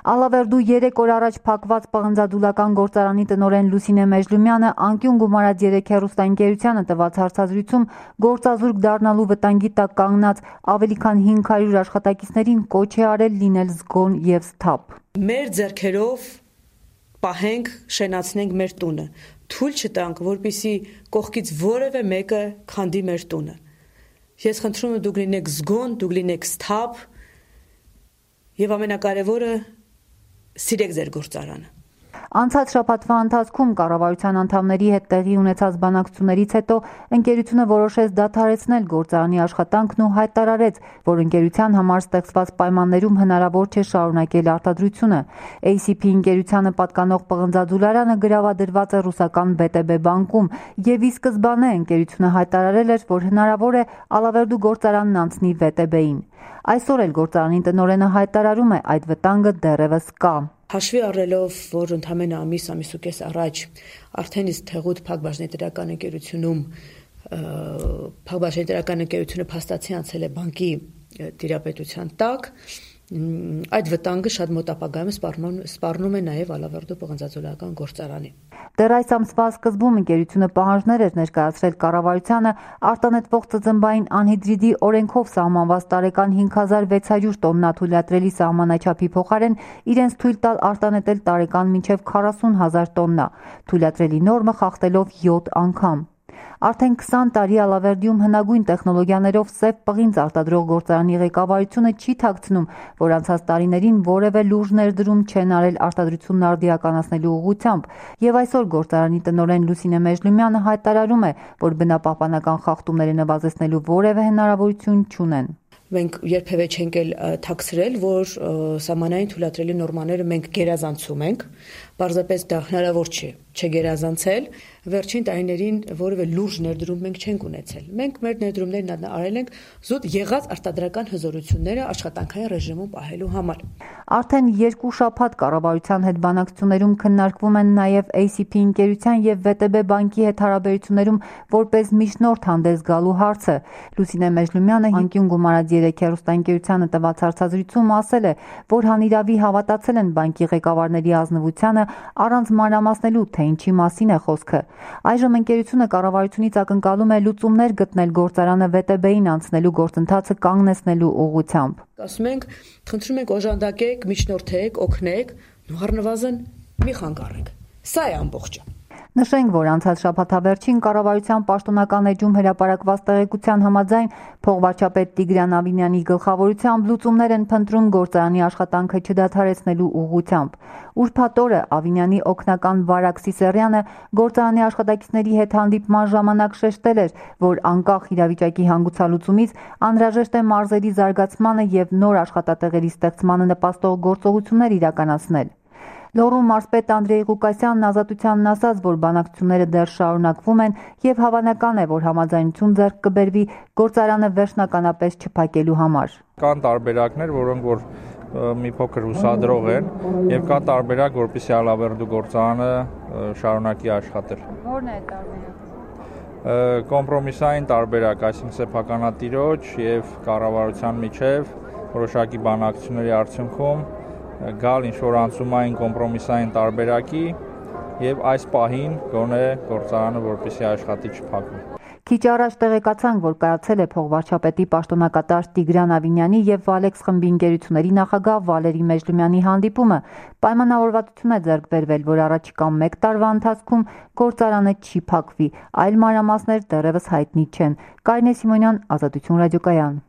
Ալավերդու 3 օր առաջ փակված պղնձադուլական գործարանի տնօրեն Լուսինե Մեժլումյանը անկյուն գումարած 3 հեռուստաընկերությանը տված հարցազրույցում գործազուրկ դառնալու վտանգի տակ կանգնած ավելի քան 500 աշխատակիցներին կոչ է արել լինել զգոն և սթափ։ Մեր ձեռքերով պահենք, շենացնենք մեր տունը, թույլ չտանք, որպեսզի կողքից որևէ մեկը քանդի մեր տունը։ Ես խնդրում եմ, դուք լինեք զգոն, դուք լինեք սթափ եւ ամենակարևորը սիրեք ձեր գործարանը։ Անցած շաբաթվա ընթացքում կառավարության անդամների հետ տեղի ունեցած բանակցություններից հետո ընկերությունը որոշեց դադարեցնել գործարանի աշխատանքն ու հայտարարեց, որ ընկերության համար ստեղծված պայմաններում հնարավոր չէ շարունակել արտադրությունը։ ACP ընկերությանը պատկանող պղնձադուլարանը գրավադրված է ռուսական VTB բանկում եւ ի սկզբանե ընկերությունը հայտարարել էր, որ հնարավոր է Ալավերդու գործարանն անցնի VTB-ին։ Այսօր էլ գործարանի տնօրենը հայտարարում է, այդ վտանգը դեռևս կա։ Հաշվի առնելով, որ ընդամենը ամիս ու կես առաջ արդեն իսկ Թեղուտ Փակbaşıնետերական ընկերությունում Փակbaşıնետերական ընկերությունը փաստացի անցել է բանկի տիրապետության տակ, այդ վտանգը շատ մոտ ապագայում սպառնում է նաև Ալավերդու պղնձադուլական գործարանին։ Դեռ այս ամսվա սկզբում ընկերությունը պահանջներ էր ներկայացրել կառավարությանը արտանետվող ծծմբային անհիդրիդի օրենքով սահմանված տարեկան 5600 տոննա թույլատրելի սահմանաչափի փոխարեն իրենց թույլ տալ արտանետել տարեկան մինչև 40,000 տոննա, թույլատրելի նորմը խախտելով 7 անգամ։ Արդեն 20 տարի Ալավերդիում հնագույն տեխնոլոգիաներով սև պղինձ արտադրող գործարանի ղեկավարությունը չի թաքցնում, որ անցած տարիներին որևէ լուրջ ներդրում չեն արել արտադրությունն արդիականացնելու ուղղությամբ, եւ այսօր գործարանի տնօրեն Լուսինե Մեժլումյանը հայտարարում է, որ բնապահպանական խախտումները նվազեցնելու որևէ հնարավորություն չունեն։ Մենք երբևէ չենք թաքցրել, որ սահմանային թույլատրելի նորմաները մենք գերազանցում ենք, պարզապես դա հնարավոր չէ չգերազանցել։ Վերջին տարիներին որևէ լուրջ ներդրում մենք չենք ունեցել։ Մենք մեր ներդրումներն արել ենք զուտ եղած արտադրական հզորությունները աշխատանքային ռեժիմում պահելու համար։ Արդեն 2 շաբաթ կառավարության հետ բանակցություններում քննարկվում են նաև ACP ընկերության եւ VTB բանկի հետ հարաբերություններում որպես միջնորդ հանդես գալու հարցը։ Լուսինե Մեժլումյանը անկյուն գումարած 3 հեռուստաընկերությանը տված հարցազրույցում ասել է, որ հանիրավի հավատացել են բանկի ղեկավարների ազնվությանը առանց մանրամասնելու, թե ինչի մասին է խոսքը։ Այժմ ընկերությունը կառավարությունից ակնկալում է լուծումներ գտնել գործարանը VTB-ին անցնելու գործընթացը կանգնեցնելու ուղղությամբ։ Ասում ենք, խնդրում ենք օժանդակեք, միջնորդեք, օգնեք, առնվազն մի խանգարեք։ Սա է ամբողջը։ Նշենք, որ անցած շաբաթավերջին կառավարության պաշտոնական էջում հրապարակված տեղեկության համաձայն փոխվարչապետ Տիգրան Ավինյանի գլխավորությամբ լուծումներ են փնտրում գործարանի աշխատանքը չդադարեցնելու ուղղությամբ։ Ուրբաթ օրը Ավինյանի օգնական Վարակ Սիսեռյանը գործարանի աշխատակիցների հետ հանդիպման ժամանակ շեշտել էր, որ անկախ իրավիճակի հանգուցալուծումից անհրաժեշտ է մարզերի զարգացմանը եւ նոր աշխատատեղերի ստեղծմանը նպաստող գործողություններ իրականացնել։ Լոռու մարզպետ Անդրեյ Ղուկասյանն Ազատությանն ասաց, որ բանակցությունները դեռ շարունակվում են եւ հավանական է, որ համաձայնություն ձեռք կբերվի գործարանը վերջնականապես չփակելու համար։ Կան տարբերակներ, որոնք որ մի փոքր հուսադրող են եւ կա տարբերակ, որպեսզի Ալավերդու գործարանը շարունակի աշխատել։ Որն է տարբերակը։ Կոմպրոմիսային տարբերակ, այսինքն սեփականատիրոջ եւ կառավարության միջև որոշակի բանակցությունների արդյունքում գալ ինչ-որ անցումային կոմպրոմիսային տարբերակի եւ այս պահին գոնե գործարանը որպեսզի աշխատի չփակվի։ Քիչ առաջ տեղեկացանք, որ կայացել է փոխվարչապետի պաշտոնակատար Տիգրան Ավինյանի եւ Վալեքս խմբի ընկերությունների նախագահ Վալերի Մեժլումյանի հանդիպումը։ Պայմանավորվածություն է ձեռք բերվել, որ առաջիկա 1 տարվա ընթացքում գործարանը չի փակվի, այլ մանրամասներ դեռևս հայտնի չեն։ Կարինե Սիմոնյան, Ազատություն ռադիոկայան։